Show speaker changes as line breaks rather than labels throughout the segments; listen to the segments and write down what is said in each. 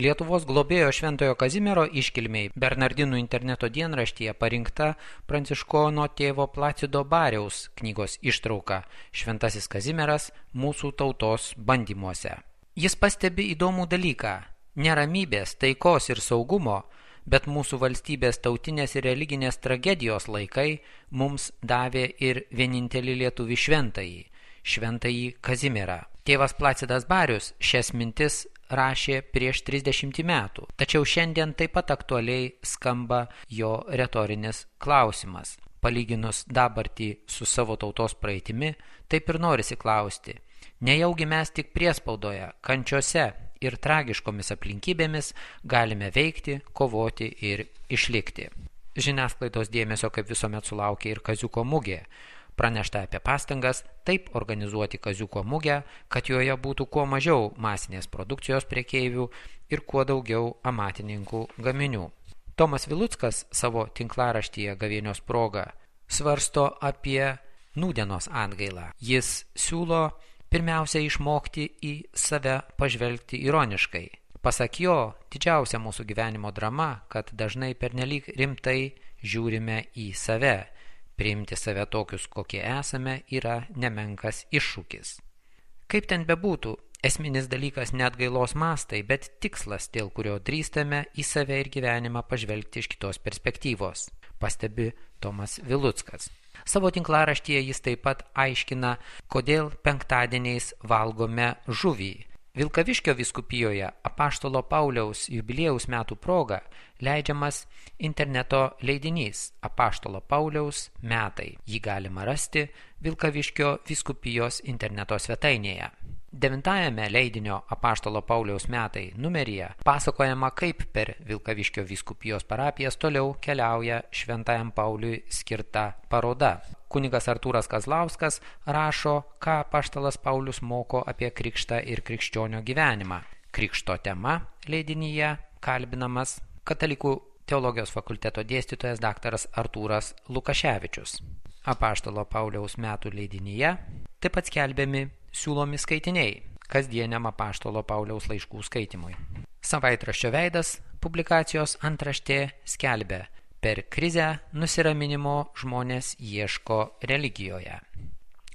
Lietuvos globėjo Šventojo Kazimiero iškilmiai Bernardinų interneto dienraštyje parinkta pranciškono tėvo Placido Bariaus knygos ištrauka Šventasis Kazimieras mūsų tautos bandymuose. Jis pastebi įdomų dalyką – neramybės, taikos ir saugumo, bet mūsų valstybės tautinės ir religinės tragedijos laikai mums davė ir vienintelį lietuvį šventąjį Kazimierą. Tėvas Placidas Barius šias mintis rašė prieš 30 metų, tačiau šiandien taip pat aktualiai skamba jo retorinis klausimas. Palyginus dabartį su savo tautos praeitimi, taip ir norisi klausti, nejaugi mes tik priespaudoje, kančiose ir tragiškomis aplinkybėmis galime veikti, kovoti ir išlikti. Žiniasklaidos dėmesio kaip visuomet sulaukė ir Kaziuko mugė. Pranešta apie pastangas taip organizuoti Kaziuko mugę, kad joje būtų kuo mažiau masinės produkcijos prekeivių ir kuo daugiau amatininkų gaminių. Tomas Viluckas savo tinklaraštyje Gavėnios proga svarsto apie nūdienos atgailą. Jis siūlo pirmiausia išmokti į save pažvelgti ironiškai. Pasak jo, didžiausia mūsų gyvenimo drama, kad dažnai pernelyg rimtai žiūrime į save. Priimti save tokius, kokie esame, yra nemenkas iššūkis. Kaip ten bebūtų, esminis dalykas ne atgailos mastai, bet tikslas, dėl kurio drįstame į save ir gyvenimą pažvelgti iš kitos perspektyvos, pastebi Tomas Viluckas. Savo tinklaraštyje jis taip pat aiškina, kodėl penktadieniais valgome žuvį. Vilkaviškio vyskupijoje Apaštalo Pauliaus jubiliejaus metų proga leidžiamas interneto leidinys Apaštalo Pauliaus metai. Jį galima rasti Vilkaviškio vyskupijos interneto svetainėje. 9 leidinio Apaštalo Pauliaus metai numeryje pasakojama, kaip per Vilkaviškio vyskupijos parapijas toliau keliauja Šventajam Pauliui skirta paroda. Kunigas Artūras Kazlauskas rašo, ką apaštalas Paulius moko apie krikštą ir krikščionio gyvenimą. Krikšto tema leidinyje kalbinamas Katalikų teologijos fakulteto dėstytojas daktaras Artūras Lukaševičius. Apaštalo Pauliaus metų leidinyje taip pat skelbiami siūlomi skaitiniai kasdieniam Apaštalo Pauliaus laiškų skaitimui. Savaitraščio Veidas publikacijos antraštė skelbia: per krizę nusiraminimo žmonės ieško religijoje.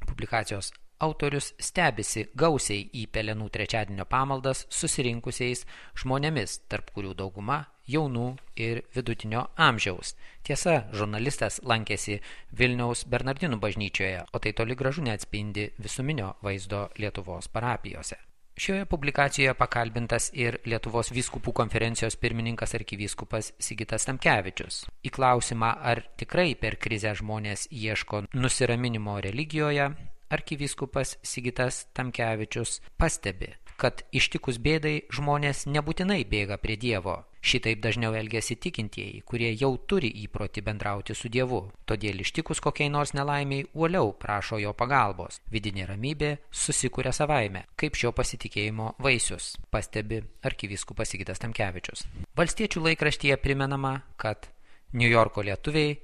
Publikacijos autorius stebisi gausiai į Pelenų trečiadienio pamaldas susirinkusiais žmonėmis, tarp kurių dauguma jaunų ir vidutinio amžiaus. Tiesa, žurnalistas lankėsi Vilniaus Bernardinų bažnyčioje, o tai toli gražu neatspindi visuminio vaizdo Lietuvos parapijose. Šioje publikacijoje pakalbintas ir Lietuvos vyskupų konferencijos pirmininkas arkivyskupas Sigitas Tamkevičius. Į klausimą, ar tikrai per krizę žmonės ieško nusiraminimo religijoje, arkivyskupas Sigitas Tamkevičius pastebi, kad ištikus bėdai žmonės nebūtinai bėga prie Dievo. Šitaip dažniau elgiasi tikintieji, kurie jau turi įprotį bendrauti su Dievu. Todėl ištikus kokiai nors nelaimiai uoliau prašo jo pagalbos. Vidinė ramybė susikuria savaime, kaip šio pasitikėjimo vaisius, pastebi arkivyskupas Sigitas Tamkevičius. Valstiečių laikraštyje primenama, kad Niujorko lietuviai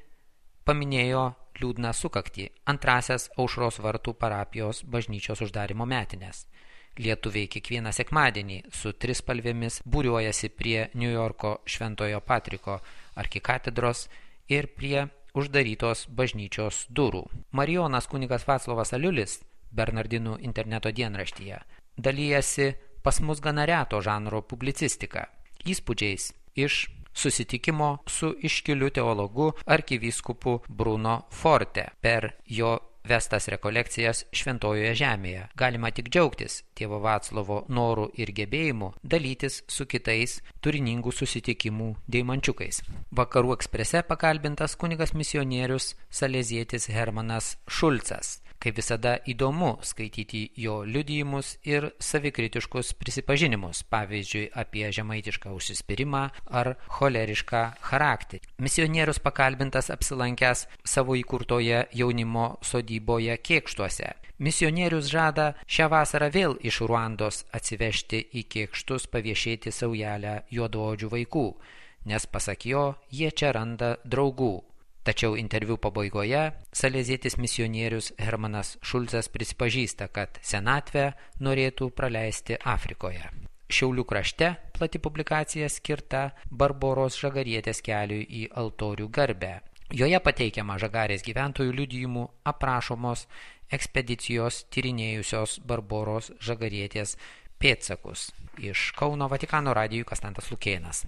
paminėjo liūdną sukaktį antrasias Aušros vartų parapijos bažnyčios uždarimo metinės. Lietuviai kiekvieną sekmadienį su trispalvėmis būriuojasi prie Niujorko Šventojo Patriko arkikatedros ir prie uždarytos bažnyčios durų. Marijonas kunigas Vaclovas Aliulis Bernardinų interneto dienraštyje dalyjasi pas mus gana reto žanro publicistika, įspūdžiais iš susitikimo su iškiliu teologu arkivyskupu Bruno Forte per jo vestas rekolekcijas Šventojoje žemėje. Galima tik džiaugtis tėvo Vaclovo norų ir gebėjimu dalytis su kitais turiningų susitikimų deimančiukais. Vakarų Eksprese pakalbintas kunigas misionierius salezietis Hermanas Šulcas. Kaip visada įdomu skaityti jo liudijimus ir savikritiškus prisipažinimus, pavyzdžiui, apie žemaitišką užsispyrimą ar cholerišką charakterį. Misionierius pakalbintas apsilankęs savo įkurtoje jaunimo sodyboje Kėkštuose. Misionierius žada šią vasarą vėl iš Ruandos atsivežti į Kėkštus paviešėti saujelę juodaodžių vaikų, nes pasak jo, jie čia randa draugų. Tačiau interviu pabaigoje salezietis misionierius Hermanas Šulcas prisipažįsta, kad senatvę norėtų praleisti Afrikoje. Šiaulių krašte plati publikacija skirta Barboros Žagarietės keliui į altorių garbę. Joje pateikiama Žagarės gyventojų liudijimų aprašomos ekspedicijos tyrinėjusios Barboros Žagarietės pėdsakus. Iš Kauno Vatikano radijui Konstantas Lukėnas.